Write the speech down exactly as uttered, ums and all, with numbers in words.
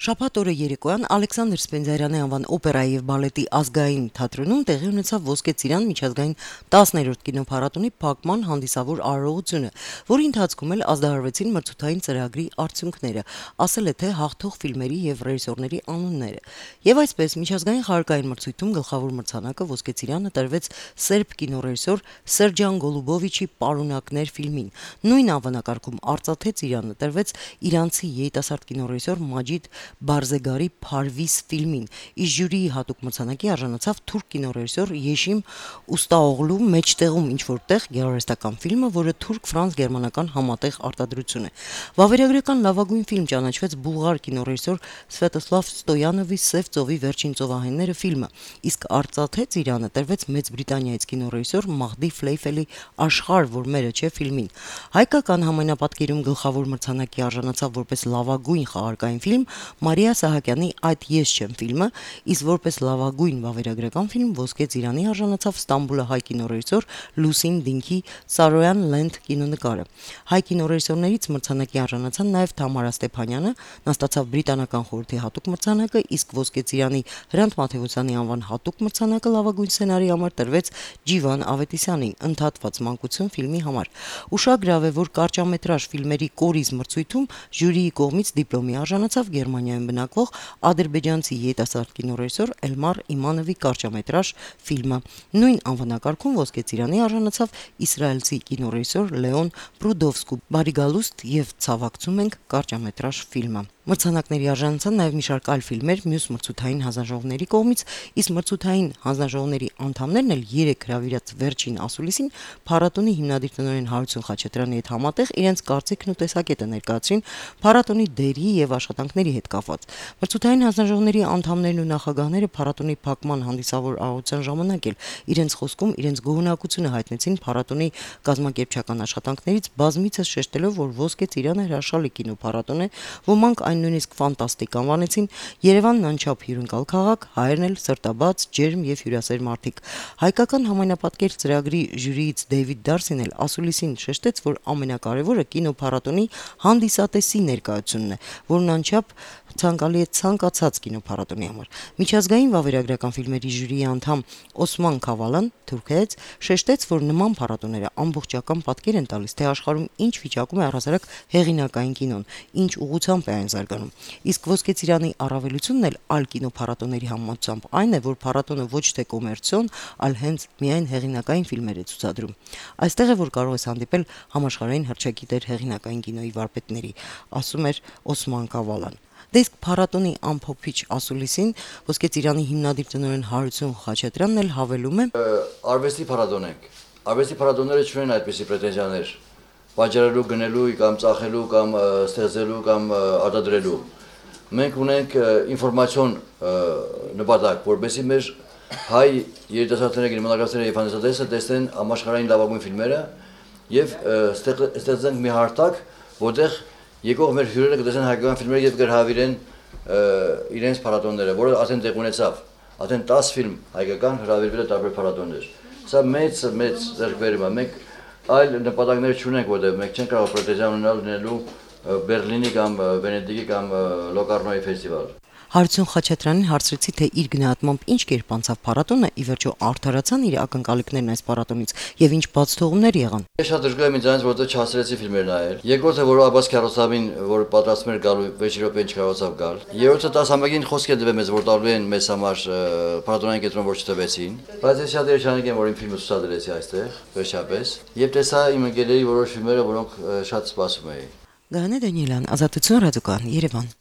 Շաբաթ օրը երեկոյան Ալեքսանդր Սպենդիարյանի անվան օպերայի եւ բալետի ազգային թատրոնում տեղի ունեցավ Ոսկե ծիրան միջազգային տասներորդ կինոփառատոնի փակման հանդիսավոր արարողությունը, որի ընթացքում էլ ազդարարվեցին մրցութային ծրագրի արդյունքները, ասել է թե հաղթող ֆիլմերի եւ ռեժիսորների անունները։ Եվ այսպես միջազգային խաղարկային մրցույթում գլխավոր մրցանակը Ոսկե ծիրանը տրվեց սերբ կինոռեժիսոր Սերջան Գոլուբովիչի «Պարունակներ» ֆիլմին։ Նույն անվանակարգում արծաթե ծիրանը տրվեց իրանցի երիտասարդ կինոռեժիսոր Մաջիդ Բարզեգարի «Փարվիս» ֆիլմին, իսկ ժյուրիի հատուկ մրցանակի արժանացավ թուրք կինոռեժիսոր Եշիմ Ուստաօղլու «Մեջտեղում ինչ-որ տեղ» գեղարվեստական ֆիլմը, որը թուրք-ֆրանս-գերմանական համատեղ արտադրություն է։ Վավերագրական լավագույն ֆիլմ ճանաչվեց բուլղար կինոռեժիսոր Սվետոսլավ Ստոյանովի «Սև ծովի վերջին ծովահենները» ֆիլմը, իսկ արծաթե ծիրանը տրվեց Մեծ Բրիտանիայից կինոռեժիսոր Մահդի Ֆլեյֆելի «Աշխարհ, որ մերը չէ» ֆիլմին։ Հայկական համայնապատկերում գլխավոր մրցանակի արժանացավ որպես լավագույն խաղարկային ֆիլմ Մարիա Սահակյանի «Այդ ես չեմ» ֆիլմը, իսկ որպես լավագույն վավերագրական ֆիլմ Ոսկե ծիրանի արժանացավ Ստամբուլահայ կինոռեժիսոր Լուսին Դինքի «Սարոյան Լենդ» կինոնկարը։ Հայ կինոռեժիսորներից մրցանակի արժանացան նաև Թամարա Ստեփանյանը, նա ստացավ Բրիտանական խորհրդի հատուկ մրցանակը, իսկ Ոսկե ծիրանի Հրանտ Մաթեոսյանի անվան հատուկ մրցանակը լավագույն սցենարի համար տրվեց Ջիվան Ավետիսյանին «Ընդհատված մանկություն» ֆիլմի համար։ Ուշագրավ է, որ կարճամետրաժ ֆիլմերի կորիզ մրցույթում ժյուրիի կողմից դիպլոմի արժանացավ Գերմանիայում բնակվող ադրբեջանցի երիտասարդ կինոռեժիսոր Էլմար Իմանովի կարճամետրաժ ֆիլմը։ Նույն անվանակարգում Ոսկե ծիրանի արժանացավ իսրայելցի կինոռեժիսոր Լեոն Պրուդովսկու «Բարի գալուստ» եւ «Ցավակցում ենք» կարճամետրաժ ֆիլմը։ Մրցանակների արժանացան նաև մի շարք այլ ֆիլմեր մյուս մրցութային հանձնաժողովների կողմից, իսկ մրցութային հանձնաժողովների անդամներն էլ երեք հրավիրած վերջին ասուլիսին փառատոնի հիմնադիր տնօրեն Հարություն Խաչատրյանի հետ համատեղ իրենց կարծիքն ու տեսակետը ներկայացրին փառատոնի դերի եւ աշխատանքների հետ կապված։ Մրցութային հանձնաժողովների անդամներն ու նախագահները փառատոնի փակման հանդիսավոր արարողության ժամանակ էլ իրենց խոսքում իրենց գոհունակությունը հայտնեցին փառատոնի կազմակերպչական աշխատանքներից, բազմիցս շեշտելով, որ Ոսկե ծիրանը հրաշալի կինոփառատոն է, ոմանք այն նույնիսկ ֆանտաստիկ անվանեցին, Երևանն անչափ հյուրընկալ քաղաք, հայերն էլ սրտաբաց, ջերմ եւ հյուրասեր մարդիկ։ Հայկական համայնապատկեր ծրագրի ժյուրիից Դեյվիդ Դարսին էլ ասուլիսին շեշտեց, որ ամենակարևորը կինոփառատոնի հանդիսատեսի ներկայությունն է, որն անչափ ցանկալի է ցանկացած կինոփառատոնի համար։ Միջազգային վավերագրական ֆիլմերի ժյուրիի անդամ Օսման Քավալան թուրքերից շեշտեց, որ նման փառատոները ամբողջական պատկեր են տալիս, թե աշխարհում ինչ վիճակում է առհասարակ հեղինակային կինոն, ինչ ուղղությամբ է այն զարգանում։ Իսկ Ոսկե ծիրանի առավելությունն էլ այլ կինոփառատոների համեմատությամբ այն է, որ փառատոնը ոչ թե կոմերցիոն, այլ հենց միայն հեղինակային ֆիլմեր է ցուցադրում։ Այստեղ է, որ կարող ես հանդիպել համաշխարհային հռչակիներ հեղինակային կինոյի վարպետների, ասում էր Օսման Քավալան։ Դե իսկ փառատոնի ամփոփիչ ասուլիսին Ոսկե ծիրանի հիմնադիր տնօրեն Հարություն Խաչատրյանն էլ հավելում է. Արվեստի փառատոն ենք։ Արվեստի փառատոնները չունեն այդպիսի պրետենզիաներ վաճառելու, գնելու կամ ծախելու կամ ստեղծելու կամ արտադրելու։ Մենք ունենք ինֆորմացիոն նպատակ, որովհետեւ մեր հայ երիտասարդները, կինեմատոգրաֆները եւ հանդիսատեսը տեսնեն համաշխարհային լավագույն ֆիլմերը եւ ստեղծենք մի հարթակ, որտեղ եկող մեր հյուրերը կտեսնեն հայկական ֆիլմերը եւ կհրավիրեն իրենց փառատոնները, որը արդեն տեղ ունեցավ։ Արդեն տասը ֆիլմ հայկական հրավիրվել է տարբեր փառատոններ։ Սա մեծ մեծ ձեռքբերում է։ Մենք այլ նպատակներ չունենք, որտեղ մենք չենք կարող պրետենզիա ունենալու Բերլինի կամ Վենետիկի կամ Լոկարնոյի ֆեստիվալ։ Հարություն Խաչատրյանին հարցրեցի, թե իր գնահատմամբ ինչ կերպ անցավ փառատոնը, ի վերջո արդարացան իր ակնկալիքներն այս փառատոնից եւ ինչ բացթողումներ եղան։ Ես շատ դժգոհ եմ ինձանից, որովհետեւ չհասցրեցի ֆիլմեր նայել։ Երկրորդը, որ Աբբաս Քյարոսավին, որ պատրաստում էր գալու վեց րոպե չկարողացավ գալ։ Երրորդը տասամյակին խոսք է դվել մեզ, որ տալու են մեզ համար փառատոնային կենտրոն, որ չտվեցին։ Բայց ես շատ երջանիկ եմ, որ իմ ֆիլմը ցուցադրեցի այստեղ, վերջապես։ Եվ տեսա իմ ընկերների որոշ ֆիլմերը, որոնք շատ սպասում էի։ Գայանե Դանիելյան, Ազատություն ռադիոկան, Երևան։